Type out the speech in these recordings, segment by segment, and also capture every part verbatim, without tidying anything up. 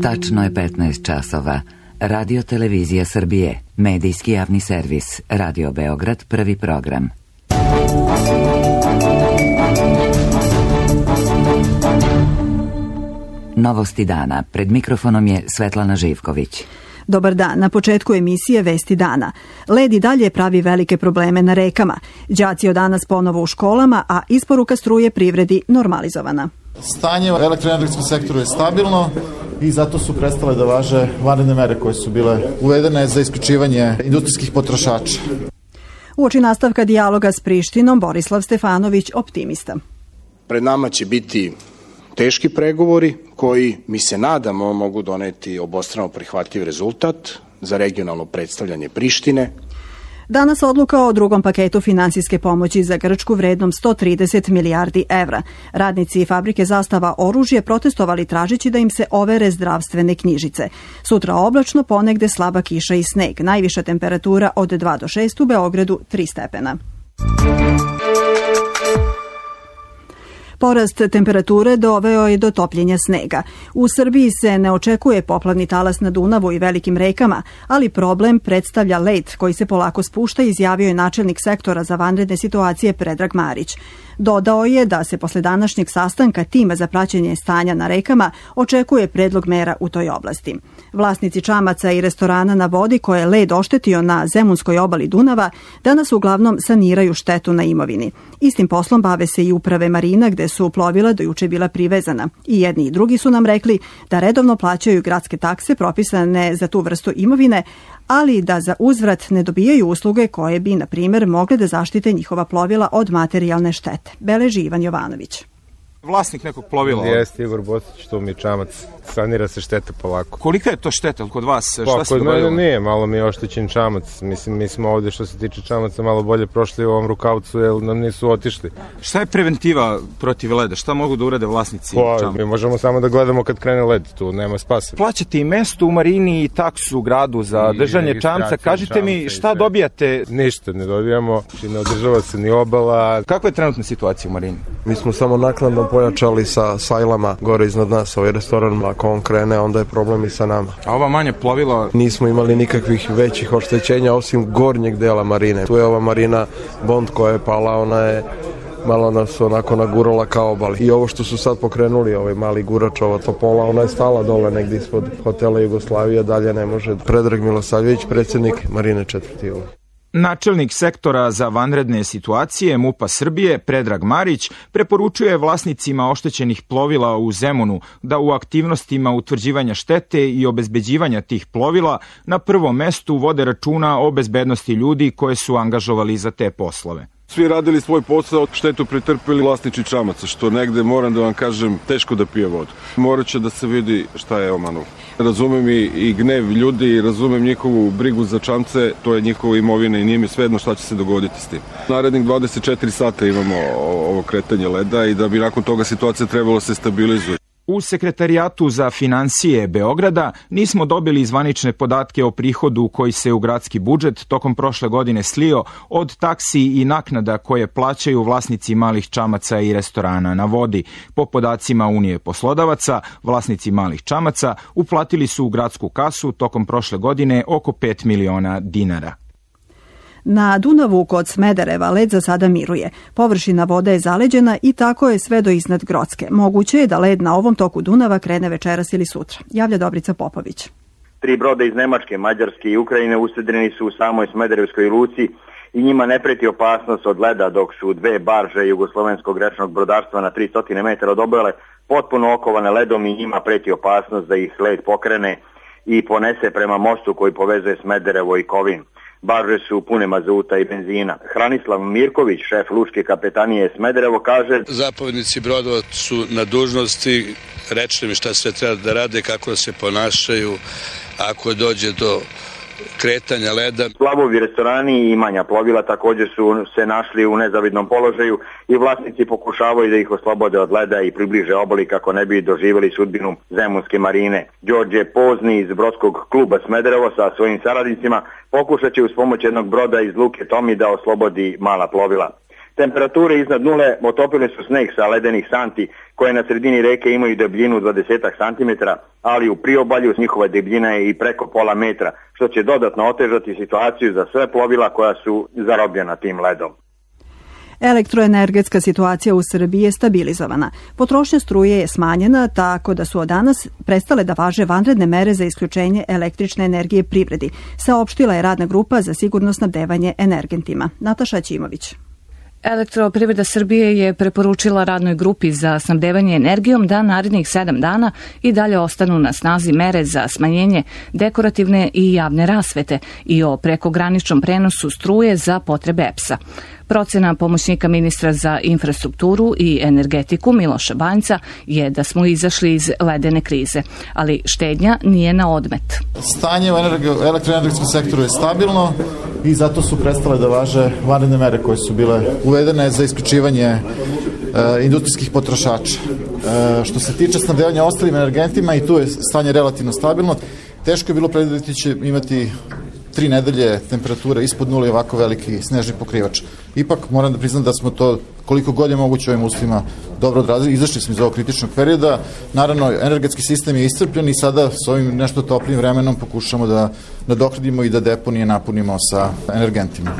Tačno je petnaest časova. Radio Televizija Srbije, medijski javni servis, Radio Beograd, prvi program. Novosti dana. Pred mikrofonom je Svetlana Živković. Dobar dan. Na početku emisije Vesti dana. Led i dalje pravi velike probleme na rekama. Đaci od danas ponovo u školama, a isporuka struje privredi normalizovana. Stanje u elektroenergetskom sektoru je stabilno i zato su prestale da važe vanredne mere koje su bile uvedene za isključivanje industrijskih potrošača. Uoči nastavka dijaloga s Prištinom, Borislav Stefanović optimista. Pred nama će biti teški pregovori koji, mi se nadamo, mogu doneti obostrano prihvatljiv rezultat za regionalno predstavljanje Prištine. Danas odluka o drugom paketu finansijske pomoći za Grčku vrednom sto trideset milijardi evra. Radnici fabrike Zastava oružje protestovali tražeći da im se overe zdravstvene knjižice. Sutra oblačno, ponegde slaba kiša i sneg. Najviša temperatura od dva do šest, u Beogradu tri stepena. Porast temperature doveo je do topljenja snega. U Srbiji se ne očekuje poplavni talas na Dunavu i velikim rekama, ali problem predstavlja led koji se polako spušta, izjavio je načelnik sektora za vanredne situacije Predrag Marić. Dodao je da se posle današnjeg sastanka tima za praćenje stanja na rekama očekuje predlog mera u toj oblasti. Vlasnici čamaca i restorana na vodi koje je led oštetio na zemunskoj obali Dunava danas uglavnom saniraju štetu na imovini. Istim poslom bave se i uprave marina gde su plovila do juče bila privezana. I jedni i drugi su nam rekli da redovno plaćaju gradske takse propisane za tu vrstu imovine, ali da za uzvrat ne dobijaju usluge koje bi, na primjer, mogle da zaštite njihova plovila od materijalne štete. Beleži Ivan Jovanović. Vlasnik nekog plovila? Jeste Igor Bosić, to mi je čamac. Sanira se šteta polako. Kolika je to šteta kod vas? Šta Pa, se kod dogodilo? mene nije, malo mi je oštećen čamac. Mislim, mi smo ovde što se tiče čamaca malo bolje prošli u ovom rukavcu, jer nam nisu otišli. Šta je preventiva protiv leda? Šta mogu da urade vlasnici Pa, čamaca? mi možemo samo da gledamo kad krene led, tu nema spasa. Plaćate i mesto u marini i taksu u gradu za I držanje čamca. registraciju Kažite mi čamca i šta sve. dobijate? Ništa ne dobijamo, ne održava se ni obala. Kakva je trenutna situacija u marini? Mi smo samo naknadno pojačali sa sajlama gore iznad nas, ovaj restoran, ako on krene, onda je problem i sa nama. A ova manja plovila? Nismo imali nikakvih većih oštećenja osim gornjeg dela marine. Tu je ova marina Bond koja je pala, ona je malo nas onako nagurala kao obali. I ovo što su sad pokrenuli, ovaj mali gurač, ova topola, ona je stala dole negdje ispod hotela Jugoslavija, dalje ne može. Predrag Milosavljević, predsjednik Marine četvrti. Načelnik sektora za vanredne situacije MUP-a Srbije, Predrag Marić, preporučuje vlasnicima oštećenih plovila u Zemunu da u aktivnostima utvrđivanja štete i obezbeđivanja tih plovila na prvom mestu vode računa o bezbednosti ljudi koje su angažovali za te poslove. Svi radili svoj posao, štetu pretrpeli vlasnici čamaca, što negde, moram da vam kažem, teško da pije vodu. Morat će da se vidi šta je omanuo. Razumem i, i gnev ljudi, razumem njihovu brigu za čamce, to je njihova imovina i nije mi svejedno šta će se dogoditi s tim. Narednih dvadeset četiri sata imamo ovo kretanje leda i da bi nakon toga situacija trebalo se stabilizuje. U Sekretarijatu za finansije Beograda nismo dobili zvanične podatke o prihodu koji se u gradski budžet tokom prošle godine slio od taksi i naknada koje plaćaju vlasnici malih čamaca i restorana na vodi. Po podacima Unije poslodavaca, vlasnici malih čamaca uplatili su u gradsku kasu tokom prošle godine oko pet miliona dinara. Na Dunavu kod Smedereva led za sada miruje. Površina vode je zaleđena i tako je sve do iznad Grocke. Moguće je da led na ovom toku Dunava krene večeras ili sutra. Javlja Dobrica Popović. Tri broda iz Nemačke, Mađarske i Ukrajine usedreni su u samoj Smederevskoj luci i njima ne preti opasnost od leda, dok su dve barže jugoslovenskog rečnog brodarstva na tristo metara od obale potpuno okovane ledom i njima preti opasnost da ih led pokrene i ponese prema mostu koji povezuje Smederevo i Kovin. Barže su pune mazuta i benzina. Hranislav Mirković, šef lučke kapetanije Smederevo, kaže: Zapovjednici brodova su na dužnosti, rečne mi šta sve treba da rade, kako da se ponašaju ako dođe do kretanja leda. Plavovi restorani i manja plovila također su se našli u nezavidnom položaju i vlasnici pokušavaju da ih oslobode od leda i približe obali kako ne bi doživjeli sudbinu Zemunske marine. Đorđe Pozni iz brodskog kluba Smederevo sa svojim saradnicima pokušat će uz pomoć jednog broda iz luke Tomi da oslobodi mala plovila. Temperature iznad nule otopile su sneg sa ledenih santi koje na sredini reke imaju debljinu dvadeset santimetara, ali u priobalju njihova debljina je i preko pola metra, što će dodatno otežati situaciju za sve plovila koja su zarobljena tim ledom. Elektroenergetska situacija u Srbiji je stabilizovana. Potrošnja struje je smanjena, tako da su od danas prestale da važe vanredne mere za isključenje električne energije privredi, saopštila je radna grupa za sigurno snabdevanje energentima. Nataša Ćimović. Elektroprivreda Srbije je preporučila radnoj grupi za snabdevanje energijom da narednih sedam dana i dalje ostanu na snazi mere za smanjenje dekorativne i javne rasvete i o prekograničnom prenosu struje za potrebe E P S-a. Procena pomoćnika ministra za infrastrukturu i energetiku Miloša Banjca je da smo izašli iz ledene krize, ali štednja nije na odmet. Stanje u elektroenergetskom sektoru je stabilno i zato su prestale da važe vanredne mere koje su bile uvedene za isključivanje e, industrijskih potrošača. E, što se tiče snabdevanja ostalim energentima, i tu je stanje relativno stabilno. Teško je bilo predvideti će imati tri nedelje temperature ispod nule i ovako veliki snežni pokrivač. Ipak moram da priznam da smo to koliko god je moguće ovim uslovima dobro odrazili. Izašli smo iz ovog kritičnog perioda. Naravno, energetski sistem je iscrpljen i sada s ovim nešto toplim vremenom pokušamo da nadoknadimo i da deponije napunimo sa energentima.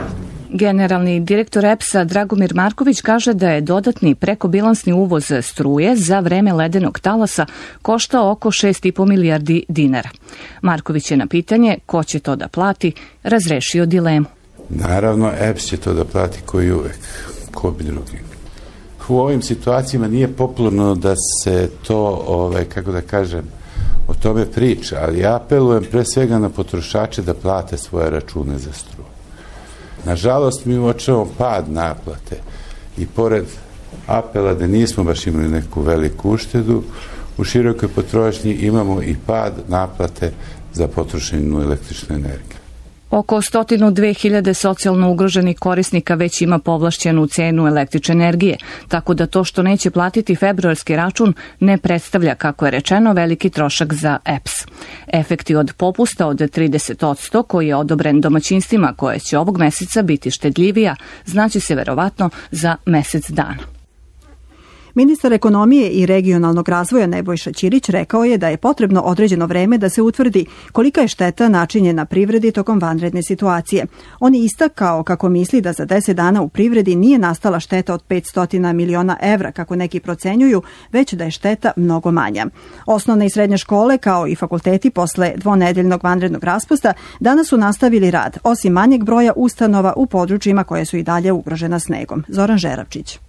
Generalni direktor E P S-a Dragomir Marković kaže da je dodatni prekobilansni uvoz struje za vreme ledenog talasa koštao oko šest i po milijardi dinara. Marković je na pitanje ko će to da plati razrešio dilemu. Naravno, E P S će to da plati koji uvek, ko bi drugi. U ovim situacijama nije popularno da se to, ovaj, kako da kažem, o tome priča, ali ja apelujem pre svega na potrošače da plate svoje račune za struju. Nažalost, mi uočavamo pad naplate i pored apela da nismo baš imali neku veliku uštedu, u širokoj potrošnji imamo i pad naplate za potrošenu električnu energiju. Oko sto dve hiljade socijalno ugroženih korisnika već ima povlašćenu cenu električne energije, tako da to što neće platiti februarski račun ne predstavlja, kako je rečeno, veliki trošak za E P S. Efekti od popusta od trideset posto koji je odobren domaćinstvima koje će ovog meseca biti štedljivija, znači se verovatno za mesec dana. Ministar ekonomije i regionalnog razvoja Nebojša Ćirić rekao je da je potrebno određeno vreme da se utvrdi kolika je šteta načinjena privredi tokom vanredne situacije. On je istakao kako misli da za deset dana u privredi nije nastala šteta od petsto miliona evra, kako neki procenjuju, već da je šteta mnogo manja. Osnovne i srednje škole, kao i fakulteti posle dvonedeljnog vanrednog raspusta, danas su nastavili rad, osim manjeg broja ustanova u područjima koje su i dalje ugrožena snegom. Zoran Žerapčić.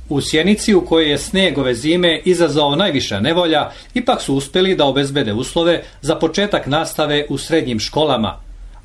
U Sjenici, u kojoj je sneg ove zime izazvao najviša nevolja, ipak su uspeli da obezbede uslove za početak nastave u srednjim školama,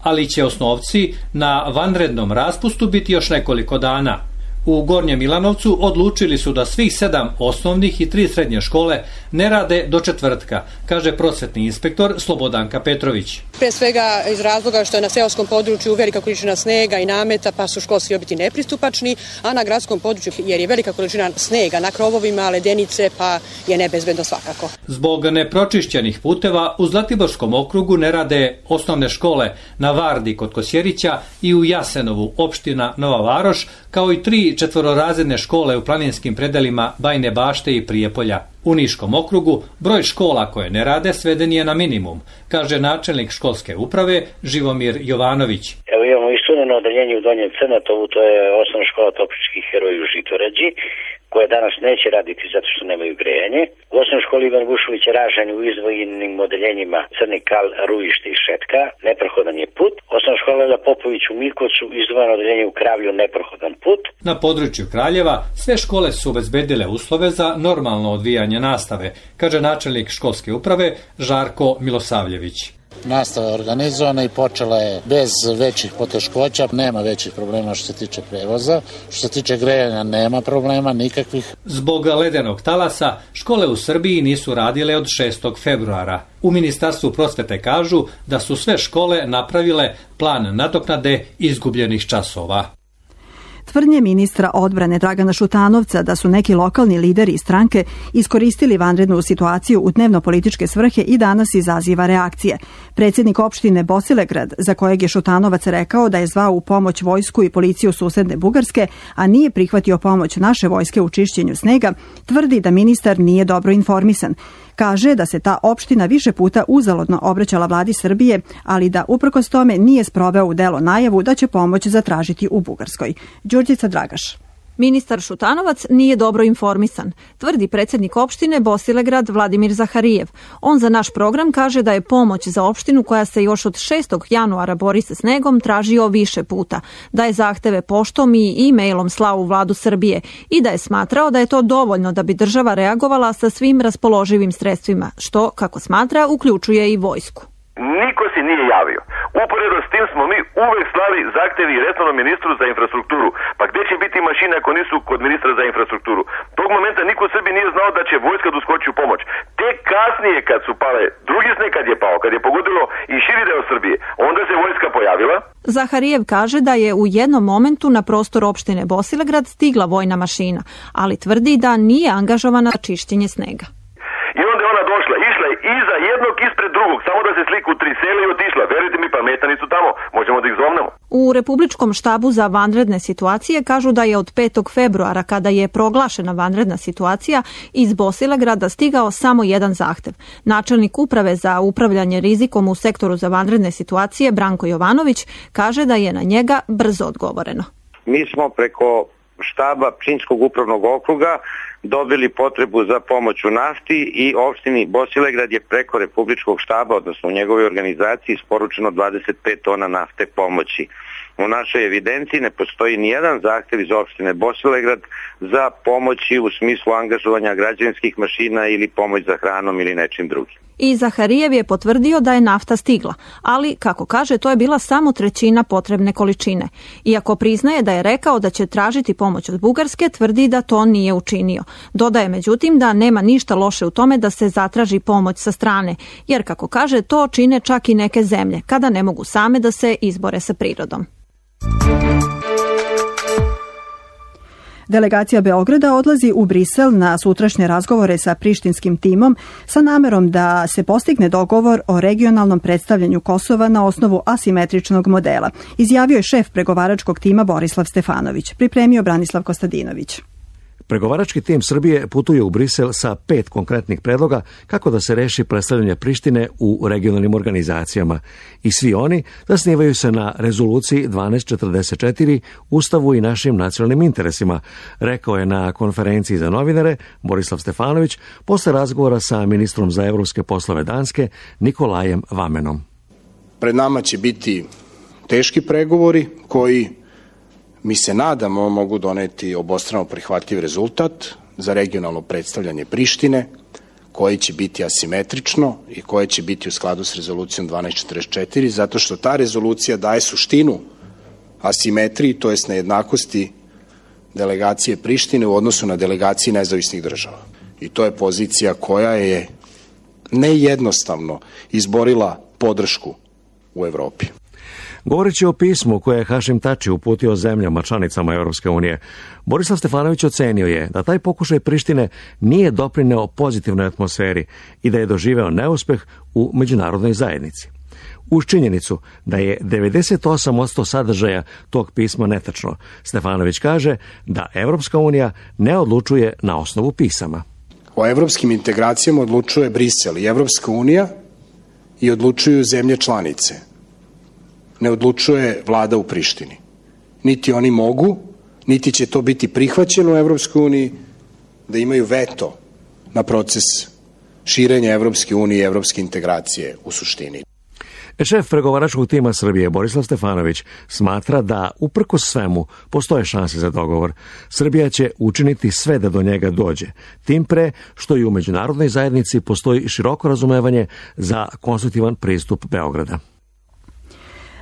ali će osnovci na vanrednom raspustu biti još nekoliko dana. U Gornjem Milanovcu odlučili su da svih sedam osnovnih i tri srednje škole ne rade do četvrtka, kaže prosvetni inspektor Slobodanka Petrović. Pre svega iz razloga što je na seoskom području velika količina snega i nameta, pa su školski objekti nepristupačni, a na gradskom području, jer je velika količina snega na krovovima, ledenice, pa je nebezbedno svakako. Zbog nepročišćenih puteva u Zlatiborskom okrugu ne rade osnovne škole na Vardi kod Kosjerića i u Jasenovu, opština Nova Varoš, kao i tri četvororazredne škole u planinskim predelima Bajne Bašte i Prijepolja. U Niškom okrugu broj škola koje ne rade sveden je na minimum, kaže načelnik školske uprave Živomir Jovanović. Evo imamo i studeno odeljenje u Donjem Crnatovu, to je osnovna škola Topličkih heroja u Žitorađi, koje danas neće raditi zato što nemaju grejanje. U osnovnoj školi Ivan Vušović Ražanj u izdvojenim odeljenjima Crni Kal, Rujište i Šetka, neprohodan je put. Osnovna škola Lela Popović u Mirkovcu, izdvojeno odeljenje u Kravlju, neprohodan put. Na području Kraljeva sve škole su obezbedile uslove za normalno odvijanje nastave, kaže načelnik školske uprave Žarko Milosavljević. Nastava je organizovana i počela je bez većih poteškoća, nema većih problema što se tiče prevoza, što se tiče grejanja nema problema nikakvih. Zbog ledenog talasa škole u Srbiji nisu radile od šestog februara. U Ministarstvu prosvete kažu da su sve škole napravile plan nadoknade izgubljenih časova. Tvrdnje ministra odbrane Dragana Šutanovca da su neki lokalni lideri i stranke iskoristili vanrednu situaciju u dnevno-političke svrhe i danas izaziva reakcije. Predsjednik opštine Bosilegrad, za kojeg je Šutanovac rekao da je zvao u pomoć vojsku i policiju susedne Bugarske, a nije prihvatio pomoć naše vojske u čišćenju snega, tvrdi da ministar nije dobro informisan. Kaže da se ta opština više puta uzaludno obraćala vladi Srbije, ali da uprkos tome nije sproveo u delo najavu da će pomoć zatražiti u Bugarskoj. Đurđica Dragaš. Ministar Šutanovac nije dobro informisan, tvrdi predsjednik opštine Bosilegrad Vladimir Zaharijev. On za naš program kaže da je pomoć za opštinu koja se još od šestog januara bori sa snegom tražio više puta, da je zahteve poštom i e-mailom slao u vladu Srbije i da je smatrao da je to dovoljno da bi država reagovala sa svim raspoloživim sredstvima, što, kako smatra, uključuje i vojsku. Niko se nije javio. Uporedo s tim smo mi uvek slali zahtevi resornom ministru za infrastrukturu. Pa gde će biti mašine ako nisu kod ministra za infrastrukturu? Tog momenta niko u Srbiji nije znao da će vojska doskoči u pomoć. Tek kasnije kad su pale drugi sneg, kad je pao, kad je pogodilo i širi deo Srbije, onda se vojska pojavila. Zaharijev kaže da je u jednom momentu na prostor opštine Bosilegrad stigla vojna mašina, ali tvrdi da nije angažovana za čišćenje snega. I onda je ona došla, išla je iza jednog ispred drugog, samo da se sliku tri sela i otišla. Verujte mi, pametani su tamo, možemo da ih zovnemo. U Republičkom štabu za vanredne situacije kažu da je od petog februara, kada je proglašena vanredna situacija, iz Bosilegrada stigao samo jedan zahtev. Načelnik uprave za upravljanje rizikom u sektoru za vanredne situacije, Branko Jovanović, kaže da je na njega brzo odgovoreno. Mi smo preko štaba Pčinjskog upravnog okruga dobili potrebu za pomoć u nafti i opštini Bosilegrad je preko Republičkog štaba, odnosno u njegovoj organizaciji, isporučeno dvadeset pet tona nafte pomoći. U našoj evidenciji ne postoji ni jedan zahtev iz opštine Bosilegrad za pomoći u smislu angažovanja građevinskih mašina ili pomoć za hranom ili nečim drugim. I Zaharijev je potvrdio da je nafta stigla, ali, kako kaže, to je bila samo trećina potrebne količine. Iako priznaje da je rekao da će tražiti pomoć od Bugarske, tvrdi da to nije učinio. Dodaje međutim da nema ništa loše u tome da se zatraži pomoć sa strane, jer, kako kaže, to čine čak i neke zemlje, kada ne mogu same da se izbore sa prirodom. Delegacija Beograda odlazi u Brisel na sutrašnje razgovore sa prištinskim timom sa namerom da se postigne dogovor o regionalnom predstavljanju Kosova na osnovu asimetričnog modela, izjavio je šef pregovaračkog tima Borislav Stefanović, pripremio Branislav Kostadinović. Pregovarački tim Srbije putuje u Brisel sa pet konkretnih predloga kako da se reši predstavljanje Prištine u regionalnim organizacijama i svi oni zasnivaju se na rezoluciji dvanaest četrdeset četiri, Ustavu i našim nacionalnim interesima, rekao je na konferenciji za novinare Borislav Stefanović posle razgovora sa ministrom za evropske poslove Danske Nikolajem Vamenom. Pred nama će biti teški pregovori koji, mi se nadamo, mogu doneti obostrano prihvatljiv rezultat za regionalno predstavljanje Prištine, koje će biti asimetrično i koje će biti u skladu s rezolucijom dvanaest četrdeset četiri, zato što ta rezolucija daje suštinu asimetriji, to jest nejednakosti delegacije Prištine u odnosu na delegacije nezavisnih država. I to je pozicija koja je nejednostavno izborila podršku u Evropi. Govoreći o pismu koje je Hašim Tači uputio zemljama članicama Europske unije, Borislav Stefanović ocenio je da taj pokušaj Prištine nije doprineo pozitivnoj atmosferi i da je doživeo neuspeh u međunarodnoj zajednici. Uz činjenicu da je devedeset osam posto sadržaja tog pisma netačno, Stefanović kaže da Evropska unija ne odlučuje na osnovu pisama. O evropskim integracijama odlučuje Brisel i Evropska unija i odlučuju zemlje članice. Ne odlučuje vlada u Prištini. Niti oni mogu, niti će to biti prihvaćeno u Evropskoj uniji, da imaju veto na proces širenja Evropske unije i evropske integracije u suštini. Šef pregovaračkog tima Srbije Borislav Stefanović smatra da uprkos svemu postoje šanse za dogovor. Srbija će učiniti sve da do njega dođe, tim pre što i u međunarodnoj zajednici postoji široko razumevanje za konstruktivan pristup Beograda.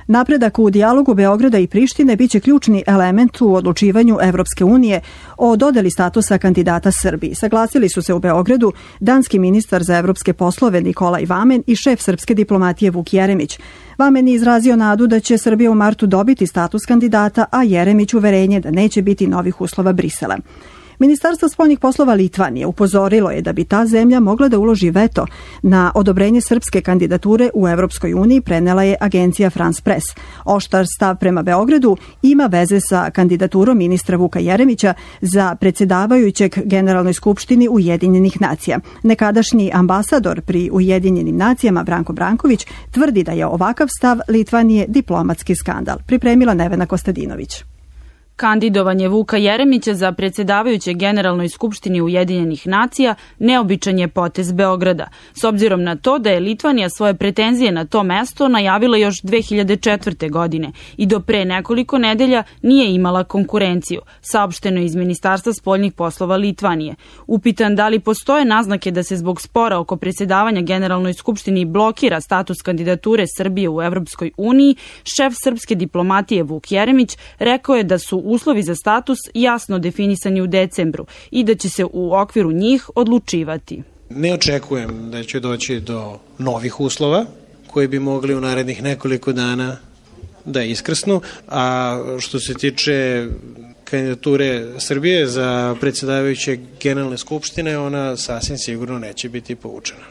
Napredak u dijalogu Beograda i Prištine biće ključni element u odlučivanju Evropske unije o dodeli statusa kandidata Srbiji. Saglasili su se u Beogradu danski ministar za evropske poslove Nikolaj Vamen i šef srpske diplomatije Vuk Jeremić. Vamen je izrazio nadu da će Srbija u martu dobiti status kandidata, a Jeremić uverenje da neće biti novih uslova Brisela. Ministarstvo spoljnih poslova Litvanije upozorilo je da bi ta zemlja mogla da uloži veto na odobrenje srpske kandidature u Evropskoj uniji, prenela je agencija France Press. Oštar stav prema Beogradu ima veze sa kandidaturom ministra Vuka Jeremića za predsjedavajućeg Generalnoj skupštini Ujedinjenih nacija. Nekadašnji ambasador pri Ujedinjenim nacijama Branko Branković tvrdi da je ovakav stav Litvanije diplomatski skandal. Pripremila Nevena Kostadinović. Kandidovanje Vuka Jeremića za predsjedavajuće Generalnoj skupštini Ujedinjenih nacija neobičan je potez Beograda, s obzirom na to da je Litvanija svoje pretenzije na to mesto najavila još dve hiljade četvrte. godine i do pre nekoliko nedelja nije imala konkurenciju, saopšteno iz Ministarstva spoljnih poslova Litvanije. Upitan da li postoje naznake da se zbog spora oko predsjedavanja Generalnoj skupštini blokira status kandidature Srbije u Evropskoj uniji, šef srpske diplomatije Vuk Jeremić rekao je da su uslovi za status jasno definisani u decembru i da će se u okviru njih odlučivati. Ne očekujem da će doći do novih uslova koji bi mogli u narednih nekoliko dana da iskrsnu, a što se tiče kandidature Srbije za predsjedavajuće Generalne skupštine, ona sasvim sigurno neće biti povučena.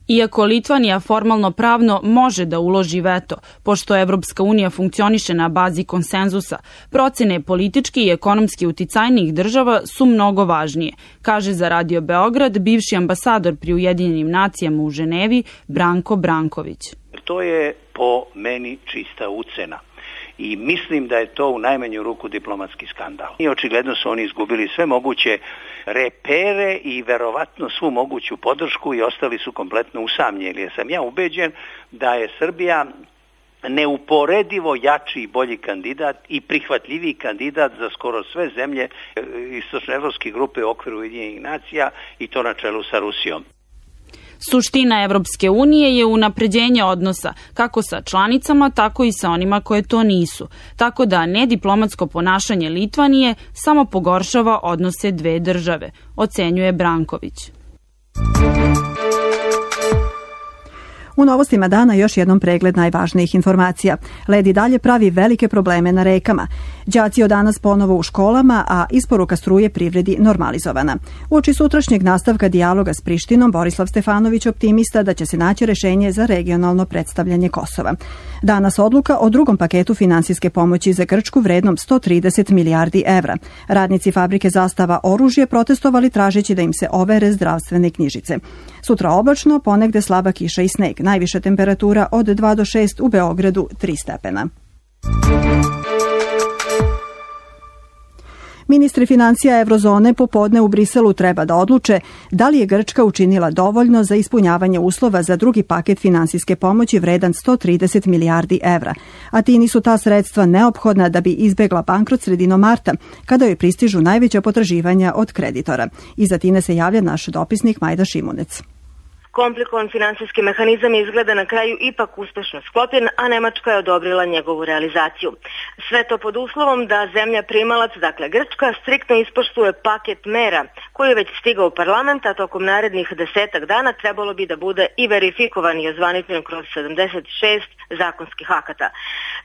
Iako Litvanija formalno pravno može da uloži veto, pošto Evropska unija funkcioniše na bazi konsenzusa, procene politički i ekonomski uticajnijih država su mnogo važnije, kaže za Radio Beograd bivši ambasador pri Ujedinjenim nacijama u Ženevi Branko Branković. To je po meni čista ucena. I mislim da je to u najmanju ruku diplomatski skandal. I očigledno su oni izgubili sve moguće repere i verovatno svu moguću podršku i ostali su kompletno usamljeni. Jer sam ja ubeđen da je Srbija neuporedivo jači i bolji kandidat i prihvatljiviji kandidat za skoro sve zemlje istočnoevropske grupe u okviru Ujedinjenih nacija i to na čelu sa Rusijom. Suština Evropske unije je unapređenje odnosa kako sa članicama, tako i sa onima koje to nisu. Tako da nediplomatsko ponašanje Litvanije samo pogoršava odnose dve države, ocenjuje Branković. U novostima dana još jednom pregled najvažnijih informacija. Led i dalje pravi velike probleme na rekama. Đaci od danas ponovo u školama, a isporuka struje privredi normalizovana. Uoči sutrašnjeg nastavka dijaloga s Prištinom, Borislav Stefanović optimista da će se naći rešenje za regionalno predstavljanje Kosova. Danas odluka o drugom paketu finansijske pomoći za Grčku vrednom sto trideset milijardi evra. Radnici fabrike Zastava oružje protestovali tražeći da im se overe zdravstvene knjižice. Sutra oblačno, ponegde slaba kiša i sneg. Najviša temperatura od dva do šest, u Beogradu tri stepena. Ministri financija Evrozone popodne u Briselu treba da odluče da li je Grčka učinila dovoljno za ispunjavanje uslova za drugi paket finansijske pomoći vredan sto trideset milijardi evra. A ti nisu ta sredstva neophodna da bi izbegla bankrot sredinom marta, kada joj pristižu najveća potraživanja od kreditora. Iz Atine se javlja naš dopisnik Majda Šimunec. Komplikovan finansijski mehanizam je izgleda na kraju ipak uspešno sklopljen, a Nemačka je odobrila njegovu realizaciju. Sve to pod uslovom da zemlja primalac, dakle Grčka, striktno ispoštuje paket mera koji je već stigao u parlament, a tokom narednih desetak dana trebalo bi da bude i verifikovan i ozvaničen kroz sedamdeset šest zakonskih akata.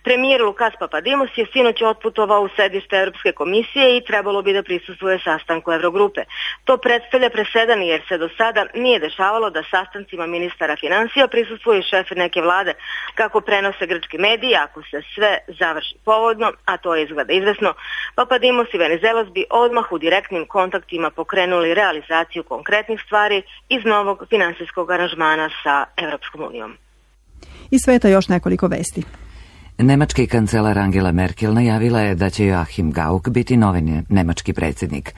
Premijer Lukas Papadimos je sinoć otputovao u sedište Europske komisije i trebalo bi da prisustvuje sastanku Evrogrupe. To predstavlja presedan jer se do sada nije dešavalo da sastancima ministara finansija prisustvuje šef neke vlade, kako prenose grčki mediji. Ako se sve završi povodno, a to je izgleda izvesno, Papadimos i Venizelos bi odmah u direktnim kontaktima pokrenuli realizaciju konkretnih stvari iz novog finansijskog aranžmana sa Evropskom unijom. Iz sveta još nekoliko vesti. Nemački kancelar Angela Merkel najavila je da će Joachim Gauck biti novi nemački predsjednik.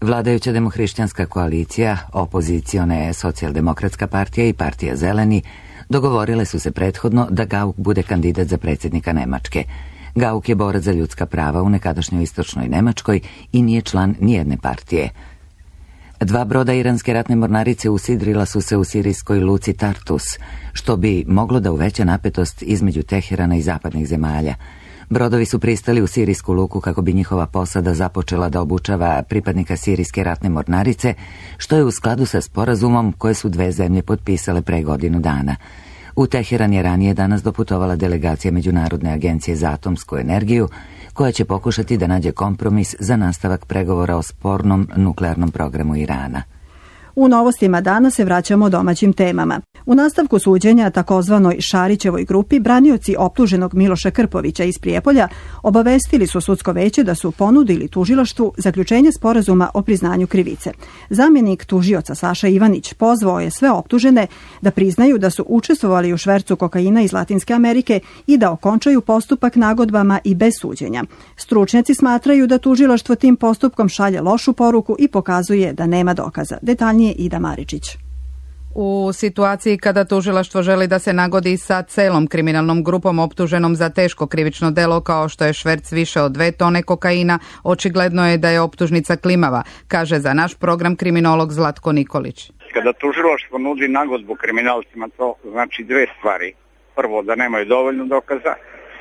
Vladajuća demohrišćanska koalicija, opozicione socijaldemokratska partija i partija Zeleni dogovorile su se prethodno da Gauck bude kandidat za predsjednika Nemačke. Gauck je borac za ljudska prava u nekadašnjoj istočnoj Nemačkoj i nije član nijedne partije. Dva broda iranske ratne mornarice usidrila su se u sirijskoj luci Tartus, što bi moglo da uveća napetost između Teherana i zapadnih zemalja. Brodovi su pristali u sirijsku luku kako bi njihova posada započela da obučava pripadnika sirijske ratne mornarice, što je u skladu sa sporazumom koje su dve zemlje potpisale pre godinu dana. U Teheran je ranije danas doputovala delegacija Međunarodne agencije za atomsku energiju, koja će pokušati da nađe kompromis za nastavak pregovora o spornom nuklearnom programu Irana. U novostima dana se vraćamo domaćim temama. U nastavku suđenja takozvanoj Šarićevoj grupi branioci optuženog Miloša Krpovića iz Prijepolja obavestili su sudsko veće da su ponudili tužilaštvu zaključenje sporazuma o priznanju krivice. Zamjenik tužioca Saša Ivanić pozvao je sve optužene da priznaju da su učestvovali u švercu kokaina iz Latinske Amerike i da okončaju postupak nagodbama i bez suđenja. Stručnjaci smatraju da tužilaštvo tim postupkom šalje lošu poruku i pokazuje da nema dokaza. Detaljnije Ida Maričić. U situaciji kada tužilaštvo želi da se nagodi sa celom kriminalnom grupom optuženom za teško krivično delo kao što je šverc više od dve tone kokaina, očigledno je da je optužnica klimava, kaže za naš program kriminolog Zlatko Nikolić. Kada tužilaštvo nudi nagodbu kriminalcima, to znači dve stvari. Prvo, da nemaju dovoljno dokaza,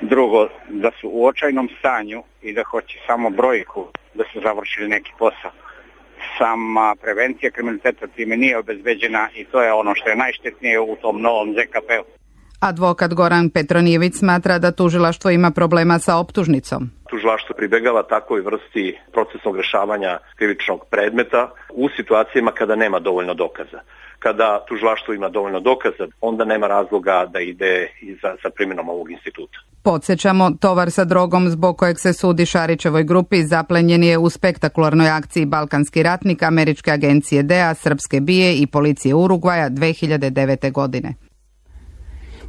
drugo, da su u očajnom stanju i da hoće samo brojku da su završili neki posao. Sama prevencija kriminaliteta time nije obezbeđena i to je ono što je najštetnije u tom novom Z K P-u. Advokat Goran Petronijević smatra da tužilaštvo ima problema sa optužnicom. Tužilaštvo pribegava takvoj vrsti procesnog rešavanja krivičnog predmeta u situacijama kada nema dovoljno dokaza. Kada tužilaštvo ima dovoljno dokaza, onda nema razloga da ide i za, za primjenom ovog instituta. Podsjećamo, tovar sa drogom zbog kojeg se sudi Šarićevoj grupi zaplenjen je u spektakularnoj akciji Balkanski ratnik američke agencije D E A, srpske B I A i policije Urugvaja dve hiljade devete. godine.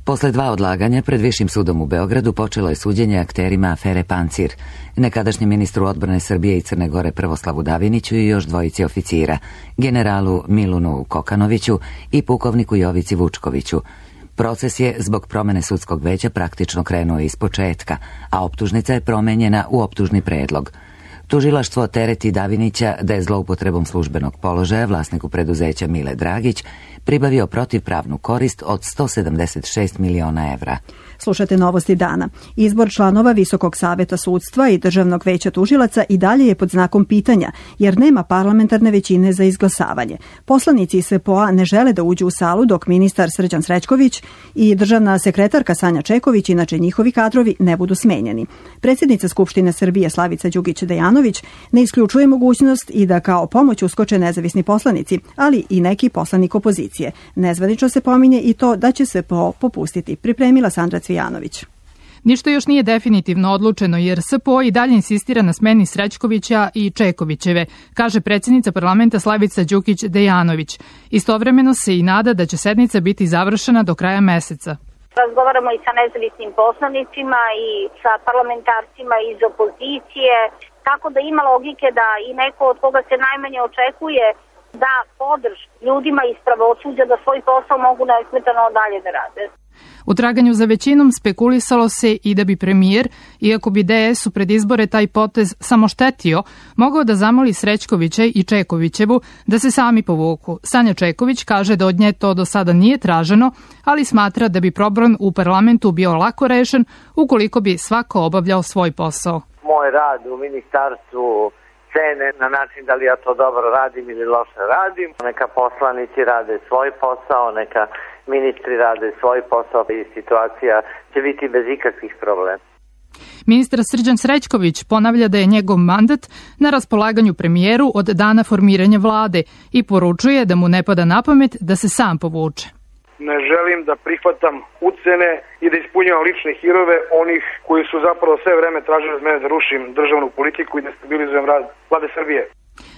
Posle dva odlaganja pred Višim sudom u Beogradu počelo je suđenje akterima afere Pancir, nekadašnjem ministru odbrane Srbije i Crne Gore Prvoslavu Daviniću i još dvojici oficira, generalu Milunu Kokanoviću i pukovniku Jovici Vučkoviću. Proces je zbog promene sudskog veća praktično krenuo iz početka, a optužnica je promenjena u optužni predlog. Tužilaštvo tereti Davinića da je zloupotrebom službenog položaja vlasniku preduzeća Mile Dragić pribavio protivpravnu korist od sto sedamdeset šest miliona evra. Slušate novosti dana. Izbor članova Visokog saveta sudstva i Državnog veća tužilaca i dalje je pod znakom pitanja, jer nema parlamentarne većine za izglasavanje. Poslanici S P O-a ne žele da uđu u salu dok ministar Srđan Srećković i državna sekretarka Sanja Čeković, inače njihovi kadrovi, ne budu smenjeni. Predsjednica Skupštine Srbije Slavica Đukić-Dejanović ne isključuje mogućnost i da kao pomoć uskoče nezavisni poslanici, ali i neki poslanik opozicije. Nezvanično se pominje i to da će S P O popustiti. Pripremila Sandra Cvijanović. Ništa još nije definitivno odlučeno jer S P O i dalje insistira na smeni Srećkovića i Čekovićeve, kaže predsjednica parlamenta Slavica Đukić-Dejanović. Istovremeno se i nada da će sednica biti završena do kraja meseca. Razgovaramo i sa nezavisnim poslanicima i sa parlamentarcima iz opozicije, tako da ima logike da i neko od koga se najmanje očekuje da podrž ljudima iz pravosuđa da svoj posao mogu nesmetano dalje da rade. U traganju za većinom spekulisalo se i da bi premijer, iako bi D S u pred izbore taj potez samo štetio, mogao da zamoli Srećkovića i Čekovićevu da se sami povuku. Sanja Čeković kaže da od nje to do sada nije traženo, ali smatra da bi problem u parlamentu bio lako rešen ukoliko bi svako obavljao svoj posao. Moj rad u ministarstvu cene na način da li ja to dobro radim ili loše radim. Neka poslanici rade svoj posao, neka ministri rade svoj posao i situacija će biti bez ikakvih problema. Ministar Srđan Srećković ponavlja da je njegov mandat na raspolaganju premijeru od dana formiranja vlade i poručuje da mu ne pada na pamet da se sam povuče. Ne želim da prihvatam ucene i da ispunjavam lične hirove onih koji su zapravo sve vreme tražili od mene da rušim državnu politiku i da stabilizujem rad vlade Srbije.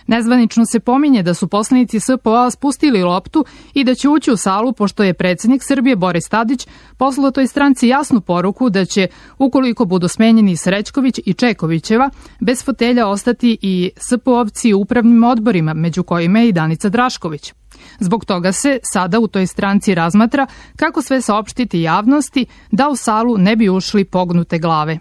Nezvanično se pominje da su poslanici S P O-a spustili loptu i da će ući u salu pošto je predsjednik Srbije Boris Tadić poslao toj stranci jasnu poruku da će, ukoliko budu smenjeni Srećković i Čekovićeva, bez fotelja ostati i S P O-ovci u upravnim odborima, među kojima je i Danica Drašković. Zbog toga se sada u toj stranci razmatra kako sve saopštiti javnosti da u salu ne bi ušli pognute glave.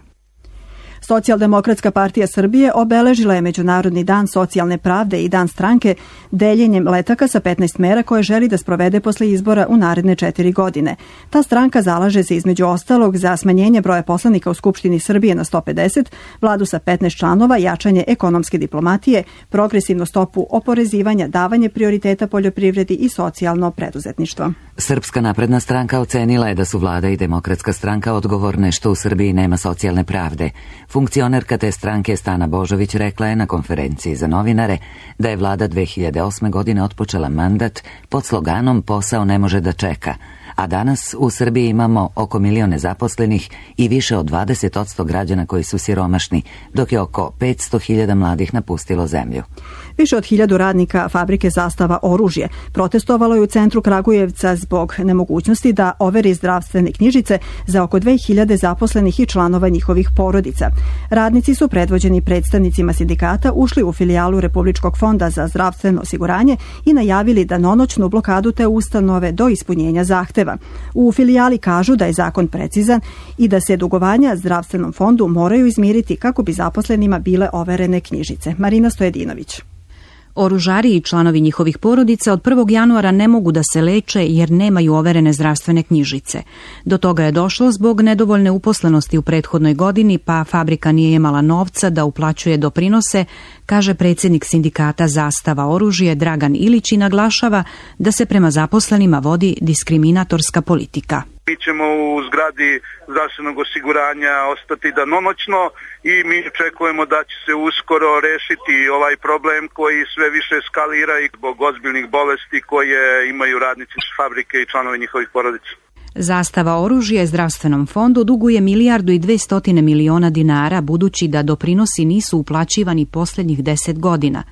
Socijaldemokratska partija Srbije obeležila je Međunarodni dan socijalne pravde i dan stranke deljenjem letaka sa petnaest mera koje želi da sprovede posle izbora u naredne četiri godine. Ta stranka zalaže se između ostalog za smanjenje broja poslanika u Skupštini Srbije na sto pedeset, vladu sa petnaest članova, jačanje ekonomske diplomatije, progresivnu stopu oporezivanja, davanje prioriteta poljoprivredi i socijalno preduzetništvo. Srpska napredna stranka ocenila je da su vlada i Demokratska stranka odgovorne što u Srbiji nema socijalne pravde. Funkcionerka te stranke Stana Božović rekla je na konferenciji za novinare da je vlada dve hiljade osme. godine otpočela mandat pod sloganom "Posao ne može da čeka", a danas u Srbiji imamo oko milion nezaposlenih i više od dvadeset posto građana koji su siromašni, dok je oko petsto hiljada mladih napustilo zemlju. Više od hiljadu radnika fabrike Zastava oružje protestovalo je u centru Kragujevca zbog nemogućnosti da overi zdravstvene knjižice za oko dve hiljade zaposlenih i članova njihovih porodica. Radnici su predvođeni predstavnicima sindikata ušli u filijalu Republičkog fonda za zdravstveno osiguranje i najavili da nonoćnu blokadu te ustanove do ispunjenja zahteva. U filijali kažu da je zakon precizan i da se dugovanja zdravstvenom fondu moraju izmiriti kako bi zaposlenima bile overene knjižice. Marina Stojedinović. Oružari i članovi njihovih porodica od prvog januara ne mogu da se leče jer nemaju overene zdravstvene knjižice. Do toga je došlo zbog nedovoljne uposlenosti u prethodnoj godini, pa fabrika nije imala novca da uplaćuje doprinose, kaže predsjednik sindikata Zastava oružje Dragan Ilić i naglašava da se prema zaposlenima vodi diskriminatorska politika. Mi ćemo u zgradi zdravstvenog osiguranja ostati danonoćno i mi očekujemo da će se uskoro rešiti ovaj problem koji sve više eskalira i zbog ozbiljnih bolesti koje imaju radnici fabrike i članovi njihovih porodica. Zastava oružje zdravstvenom fondu duguje milijardu i dvestotine miliona dinara, budući da doprinosi nisu uplaćivani posljednjih deset godina.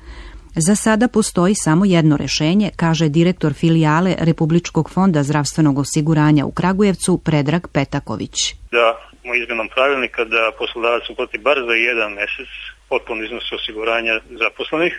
Za sada postoji samo jedno rešenje, kaže direktor filijale Republičkog fonda zdravstvenog osiguranja u Kragujevcu Predrag Petaković. Da smo izmenom pravilnika da poslodavac uplati bar za jedan mesec potpuno iznos osiguranja zaposlenih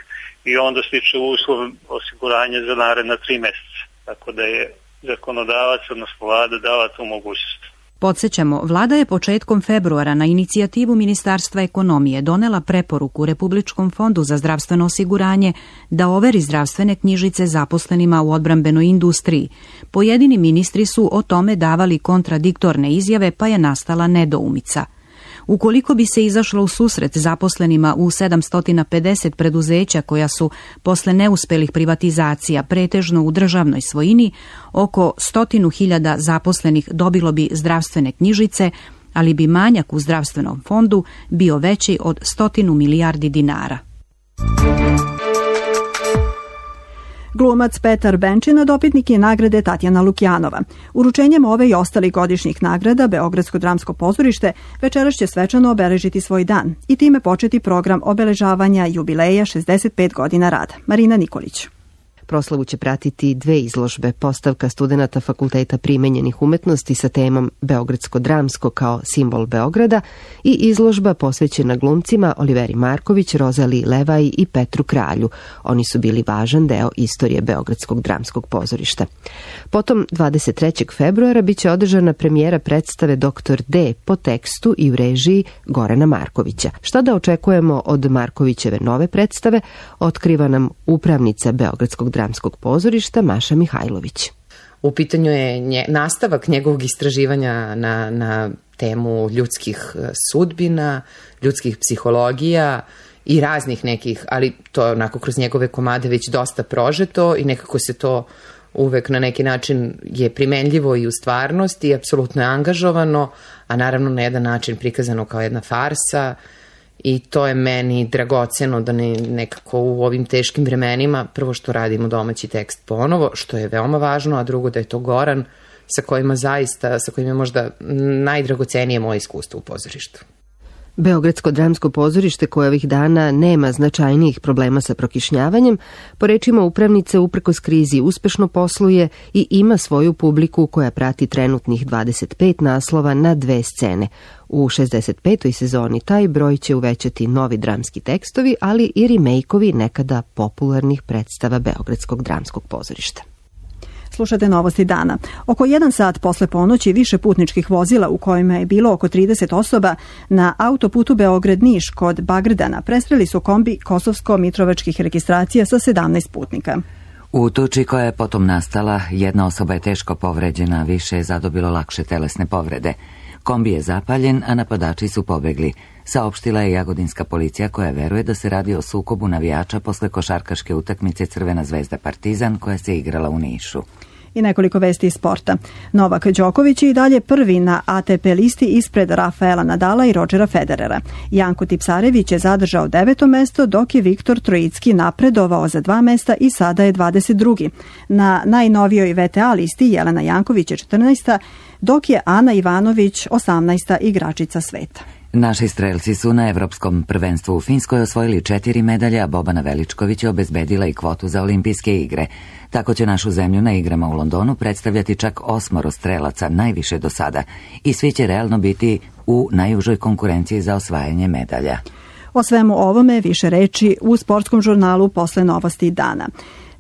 i onda stiče uslov osiguranja za naredna tri meseca. Tako da je zakonodavac, odnosno vlada, dala tu mogućnost. Podsjećamo, vlada je početkom februara na inicijativu Ministarstva ekonomije donela preporuku Republičkom fondu za zdravstveno osiguranje da overi zdravstvene knjižice zaposlenima u odbrambenoj industriji. Pojedini ministri su o tome davali kontradiktorne izjave, pa je nastala nedoumica. Ukoliko bi se izašlo u susret zaposlenima u sedamsto pedeset preduzeća koja su posle neuspelih privatizacija pretežno u državnoj svojini, oko stotinu hiljada zaposlenih dobilo bi zdravstvene knjižice, ali bi manjak u zdravstvenom fondu bio veći od stotinu milijardi dinara. Glumac Petar Benčina dobitnik je nagrade Tatjana Lukjanova. Uručenjem ove i ostalih godišnjih nagrada Beogradsko dramsko pozorište večeras će svečano obeležiti svoj dan i time početi program obeležavanja jubileja šezdeset pet godina rada. Marina Nikolić. Proslavu će pratiti dve izložbe, postavka studenata Fakulteta primenjenih umetnosti sa temom Beogradsko dramsko kao simbol Beograda i izložba posvećena glumcima Oliveri Marković, Rozaliji Levaj i Petru Kralju. Oni su bili važan deo istorije Beogradskog dramskog pozorišta. Potom dvadeset trećeg februara biće održana premijera predstave Doktor D po tekstu i u režiji Gorana Markovića. Šta da očekujemo od Markovićeve nove predstave, otkriva nam upravnica Beogradskog dramskog pozorišta Maša Mihajlović. U pitanju je nje, nastavak njegovog istraživanja na, na temu ljudskih sudbina, ljudskih psihologija i raznih nekih, ali to je onako kroz njegove komade već dosta prožeto i nekako se to uvek na neki način je primenljivo i u stvarnosti i apsolutno je angažovano, a naravno na jedan način prikazano kao jedna farsa. I to je meni dragoceno da ne, nekako u ovim teškim vremenima, prvo što radimo domaći tekst ponovo, što je veoma važno, a drugo da je to Goran sa kojima zaista, sa kojima je možda najdragocenije moje iskustvo u pozorištu. Beogradsko dramsko pozorište koje ovih dana nema značajnijih problema sa prokišnjavanjem, po rečima upravnice uprkos krizi uspešno posluje i ima svoju publiku koja prati trenutnih dvadeset pet naslova na dve scene. U šezdeset petoj sezoni taj broj će uvećati novi dramski tekstovi, ali i remejkovi nekada popularnih predstava Beogradskog dramskog pozorišta. Slušate novosti dana. Oko jedan sat posle ponoći više putničkih vozila u kojima je bilo oko trideset osoba na autoputu Beograd-Niš kod Bagrdana presreli su kombi kosovsko-mitrovačkih registracija sa sedamnaest putnika. U tuči koja je potom nastala, jedna osoba je teško povređena, više je zadobilo lakše telesne povrede. Kombi je zapaljen, a napadači su pobegli, saopštila je jagodinska policija koja veruje da se radi o sukobu navijača posle košarkaške utakmice Crvena zvezda Partizan koja se igrala u Nišu. I nekoliko vesti iz sporta. Novak Đoković je i dalje prvi na A T P listi ispred Rafaela Nadala i Rodgera Federera. Janko Tipsarević je zadržao deveto mesto, dok je Viktor Trojicki napredovao za dva mesta i sada je dvadeset drugi. Na najnovijoj V T A listi Jelena Janković je četrnaesta, dok je Ana Ivanović osamnaesta igračica sveta. Naši strelci su na Evropskom prvenstvu u Finskoj osvojili četiri medalje, a Bobana Veličković je obezbedila i kvotu za olimpijske igre. Tako će našu zemlju na igrama u Londonu predstavljati čak osmoro strelaca, najviše do sada, i svi će realno biti u najužoj konkurenciji za osvajanje medalja. O svemu ovome više reči u sportskom žurnalu posle novosti dana.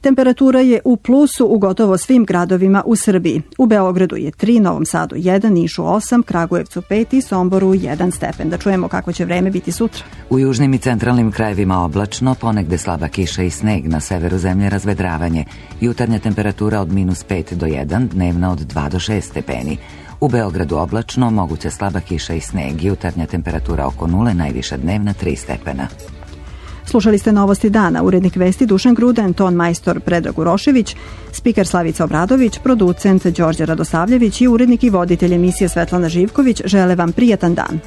Temperatura je u plusu u gotovo svim gradovima u Srbiji. U Beogradu je tri, Novom Sadu jedan, Nišu osam, Kragujevcu pet i Somboru jedan stepen. Da čujemo kako će vreme biti sutra. U južnim i centralnim krajevima oblačno, ponegde slaba kiša i sneg, na severu zemlje razvedravanje. Jutarnja temperatura od minus pet do jedan, dnevna od dva do šest stepeni. U Beogradu oblačno, moguća slaba kiša i sneg, jutarnja temperatura oko nule, najviša dnevna tri stepena. Slušali ste novosti dana, urednik vesti Dušan Gruden, ton majstor Predrag Urošević, spiker Slavica Obradović, producent Đorđe Radosavljević i urednik i voditelj emisije Svetlana Živković žele vam prijatan dan.